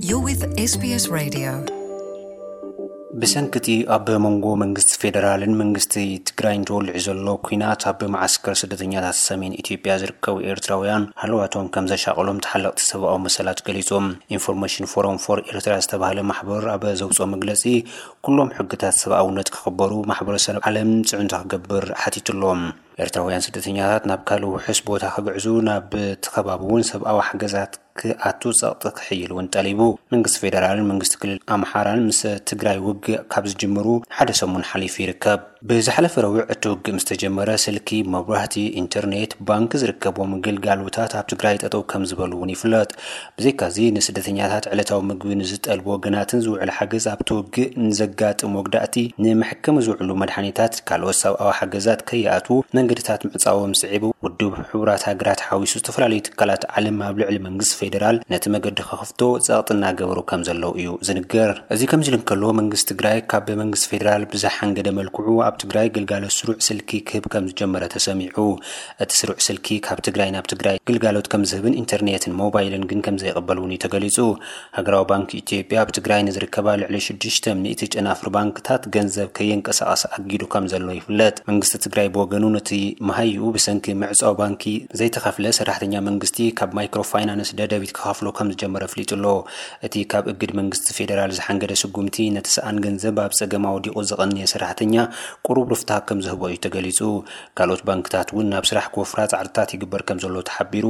You're with S B S Radio. ብሰንክቲ ኣብ መንጎ መንግስቲ ፌደራልን መንግስቲ ትግራይን ተወሊዑ ዘሎ ኲናት፣ ኣብ መዓስከር ስደተኛታት ሰሜን ኢትዮጵያ ዝርከቡ ኤርትራውያን ሃለዋቶም ከም ዘሻቐሎም ተሓለቕቲ ሰብኣዊ መሰላት ገሊጾም። ኢንፎርሜሽን ፎረም ፎር ኤርትራ ዝተባህለ ማሕበር ኣብ ዘውፅኦ መግለጺ፣ ኩሎም ሕግታት ሰብኣውነት ክኽበሩ ማሕበረሰብ ዓለም ፅዕንቶ ክገብር ሓቲትሎም። ኤርትራውያን ስደተኛታት ናብ ካልእ ውሑስ ቦታ ክግዕዙ፣ ናብ እቲ ከባቢ እውን ሰብኣዊ ሓገዛት ክኣቱ ጸቕጢ ክሕይል እውን ጠሊቡ። መንግስቲ ፌደራልን መንግስቲ ክልል ኣምሓራን ምስ ትግራይ ውግእ ካብ ዝጅምሩ ሓደ ሰሙን ሓሊፉ ይርከብ። ብዝሓለፈ ረቡዕ እቲ ውግእ ምስ ተጀመረ፣ ስልኪ፣ መብራህቲ፣ ኢንተርኔት፣ ባንክ ዝርከቦም ግልጋሎታት ኣብ ትግራይ ጠጠው ከም ዝበሉ እውን ይፍለጥ። ብዘይካዚ፣ ንስደተኛታት ዕለታዊ ምግቢ ንዝጠልቡ ወገናትን ዝውዕል ሓገዝ ኣብቲ ውግእ ንዘጋጥም ወግዳእቲ ንመሕከሚ ዝውዕሉ መድሓኒታት፣ ካልኦት ሰብኣዊ ሓገዛት ከይኣትዉ መንገድታት ምዕጻዎም ስዒቡ፣ ውድብ ሕቡራት ሃገራት ሓዊሱ ዝተፈላለዩ ትካላት ዓለም ኣብ ልዕሊ መንግስቲ ፌደራል ነቲ መገዲ ክኸፍቶ ጸቕጢ እናገበሩ ከም ዘለዉ እዩ ዝንገር። እዚ ከምዚ ኢሉ እንከሎ፣ መንግስቲ ትግራይ ካብ መንግስቲ ፌደራል ብዝሓንገደ መልክዑ ኣብ ትግራይ ግልጋሎት ስሩዕ ስልኪ ክህብ ከም ዝጀመረ ተሰሚዑ። እቲ ስሩዕ ስልኪ ካብ ትግራይ ናብ ትግራይ ግልጋሎት ከም ዝህብን ኢንተርኔትን ሞባይልን ግን ከም ዘይቕበል እውን እዩ ተገሊጹ። ሃገራዊ ባንክ ኢትዮጵያ ኣብ ትግራይ ንዝርከባ ልዕሊ ሽዱሽተ ሚእቲ ጨናፍር ባንክታት ገንዘብ ከየንቀሳቐሰ ኣጊዱ ከም ዘሎ ይፍለጥ። መንግስቲ ትግራይ ብወገኑ፣ ነቲ መሃይኡ ብሰንኪ ምዕጻው ባንኪ ዘይተኸፍለ ሰራሕተኛ መንግስቲ ካብ ማይክሮ ፋይናንስ ደደቢት ክኸፍሎ ከም ዝጀመረ ኣፍሊጡ ኣሎ። እቲ ካብ እግድ መንግስቲ ፌደራል ዝሓንገደ ስጉምቲ፣ ነቲ ሰኣን ገንዘብ ኣብ ጸገም ኣውዲቑ ዝቐንየ ሰራሕተኛ ቁሩብ ርፍታ ከም ዝህቦ እዩ ተገሊጹ። ካልኦት ባንክታት እውን ናብ ስራሕ ክወፍራ ጻዕርታት ይግበር ከም ዘሎ ተሓቢሩ።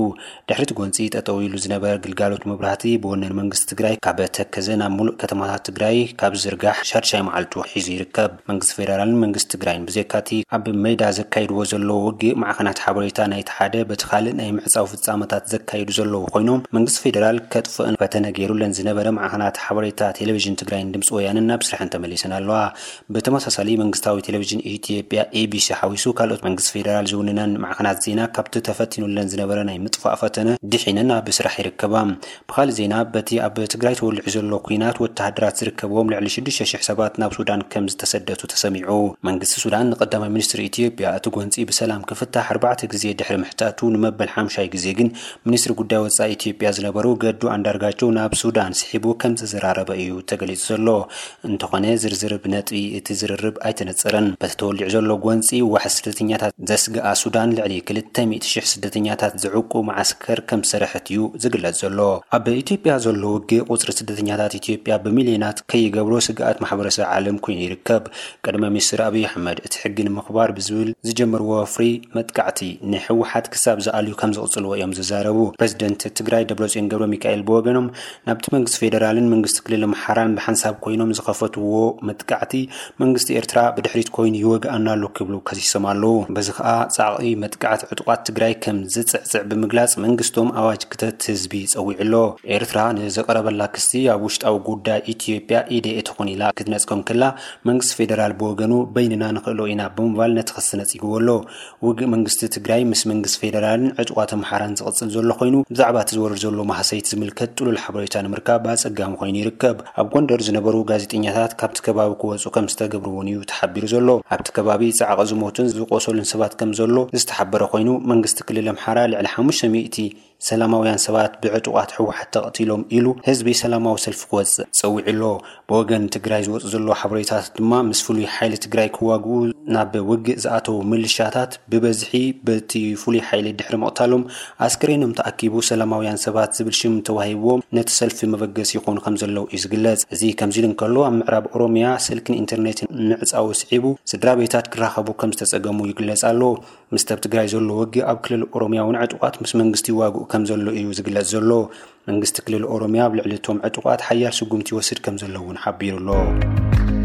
ድሕሪ እቲ ጎንጺ፣ ጠጠው ኢሉ ዝነበረ ግልጋሎት መብራህቲ ብወነን መንግስቲ ትግራይ ካብ ተከዘ ናብ ሙሉእ ከተማታት ትግራይ ካብ ዝርጋሕ ሻድሻይ መዓልቱ ሒዙ ይርከብ። መንግስቲ ፌደራልን መንግስቲ ትግራይን ብዘይካቲ ኣብ ሜዳ ዘካይድዎ ዘለዉ ውግእ፣ ማዕኸናት ሓበሬታ ናይቲ ሓደ በቲ ካልእ ናይ ምዕጻው ፍጻመታት ዘካይዱ ዘለዉ ኮይኖም፣ መንግስቲ ፌደራል ከጥፍእን ፈተነ ገይሩለን ዝነበረ ማዕኸናት ሓበሬታ ቴሌቪዥን ትግራይን ድምፂ ወያነን ናብ ስራሕን ተመሊሰን ኣለዋ። ብተመሳሳሊ፣ መንግስታዊ ቴሌቪዥን ኢትዮጵያ፣ ኤ ቢ ሲ፣ ሓዊሱ ካልኦት መንግስቲ ፌደራል ዝውንነን ማዕኸናት ዜና ካብቲ ተፈቲኑለን ዝነበረ ናይ ምጥፋእ ፈተነ ድሒነን ኣብ ስራሕ ይርከባ። ብኻልእ ዜና፣ በቲ ኣብ ትግራይ ተወሊዑ ዘሎ ኲናት፣ ወተሃደራት ዝርከብዎም ልዕሊ ሽዱሽተ ሽሕ ሰባት ናብ ሱዳን ከም ዝተሰደቱ ተሰሚዑ። መንግስቲ ሱዳን ንቀዳማይ ሚኒስትር ኢትዮጵያ እቲ ጎንፂ ብሰላም ክፍታሕ ኣርባዕተ ግዜ ድሕሪ ምሕታቱ፣ ንመበል ሓምሻይ ግዜ ግን ሚኒስትሪ ጉዳይ ወፃኢ ኢትዮጵያ ዝነበሩ ገዱ ኣንዳርጋቸው ናብ ሱዳን ስሒቡ ከም ዘዘራረበ እዩ ተገሊጹ ዘሎ። እንተኾነ፣ ዝርዝር ብነጥቢ እቲ ዝርርብ ኣይተነጸረን። በቲ ተወሊዑ ዘሎ ጎንጺ፣ ዋሕስ ስደተኛታት ዘስግኣ ሱዳን፣ ልዕሊ ክልተ ሚእቲ ሽሕ ስደተኛታት ዝዕቁ መዓስከር ከም ዝሰርሐት እዩ ዝግለጽ ዘሎ። ኣብ ኢትዮጵያ ዘሎ ውግእ፣ ቁጽሪ ስደተኛታት ኢትዮጵያ ብሚልዮናት ከይገብሮ ስግኣት ማሕበረሰብ ዓለም ኮይኑ ይርከብ። ቀዳማይ ሚኒስትር ኣብይ ኣሕመድ፣ እቲ ሕጊ ንምኽባር ብዝብል ዝጀመርዎ ወፍሪ መጥቃዕቲ፣ ንህወሓት ክሳብ ዝኣልዩ ከም ዝቕጽልዎ እዮም ዝዛረቡ። ፕሬዚደንት ትግራይ ደብረጽዮን ገብረ ሚካኤል ብወገኖም፣ ናብቲ መንግስቲ ፌደራልን መንግስቲ ክልል ኣምሓራን ብሓንሳብ ኮይኖም ዝኸፈትዎ መጥቃዕቲ፣ መንግስቲ ኤርትራ ብድሕሪት ኮይኑ ይወግኣና ኣሎ ክብሉ ከሲሶም ኣለዉ። በዚ ኸኣ፣ ጻዕቒ መጥቃዕቲ ዕጡቓት ትግራይ ከም ዝጽዕጽዕ ብምግላጽ፣ መንግስቶም ኣዋጅ ክተት ህዝቢ ጸዊዑ ኣሎ። ኤርትራ ንዘቐረበላ ክሲ፣ ኣብ ውሽጣዊ ጉዳይ ኢትዮጵያ ኢደይ ኣይትኹን ኢላ ክትነጽጎ እንከላ፣ መንግስቲ ፌደራል ብወገኑ፣ በይንና ንኽእሎ ኢና ብምባል ነቲ ክሲ ነጺግዎ ኣሎ። ውግእ መንግስቲ ትግራይ ምስ መንግስቲ ፌደራልን ዕጡቓት ኣምሓራን ዝቕጽል ዘሎ ኮይኑ፣ ብዛዕባ እቲ ዝወርድ ዘሎ ማህሰይቲ ዝምልከት ጥሉል ሓበሬታ ንምርካብ ኣጸጋሚ ኮይኑ ይርከብ። ኣብ ጎንደር ዝነበሩ ጋዜጠኛታት ካብቲ ከባቢ ክወጹ ከም ዝተገብሩ እውን እዩ ተሓቢሩ ዘሎ። ኣብቲ ከባቢ ጻዕቒ ዝሞቱን ዝቆሰሉን ሰባት ከም ዘሎ ዝተሓበረ ኮይኑ፣ መንግስቲ ክልል ኣምሓራ ልዕሊ ሓሙሽተ ሚእቲ ሰላማውያን ሰባት ብዕጡቓት ህወሓት ተቐቲሎም ኢሉ ህዝቢ ሰላማዊ ሰልፊ ክወጽእ ጸዊዑ ኣሎ። ብወገን ትግራይ ዝወጽእ ዘሎ ሓበሬታታት ድማ፣ ምስ ፍሉይ ሓይሊ ትግራይ ክዋግኡ ናብ ውግእ ዝኣተዉ ምልሻታት ብበዝሒ በቲ ፍሉይ ሓይሊ ድሕሪ ምቕታሎም፣ ኣስክሬኖም ተኣኪቡ ሰላማውያን ሰባት ዝብል ሽም ተዋሂብዎም ነቲ ሰልፊ መበገሲ ይኾኑ ከም ዘለዉ እዩ ዝግለጽ። እዚ ከምዚ ኢሉ እንከሎ፣ ኣብ ምዕራብ ኦሮምያ ስልክን ኢንተርኔትን ምዕጻው ስዒቡ፣ ስድራ ቤታት ክራኸቡ ከም ዝተጸገሙ ይግለጽ ኣሎ። ምስቲ ኣብ ትግራይ ዘሎ ውግእ፣ ኣብ ክልል ኦሮምያ እውን ዕጡቓት ምስ መንግስቲ ይዋግኡ ከም ዘሎ እዩ ዝግለጽ ዘሎ። መንግስቲ ክልል ኦሮምያ ኣብ ልዕሊ እቶም ዕጡቓት ሓያል ስጉምቲ ይወስድ ከም ዘሎ እውን ሓቢሩ ኣሎ።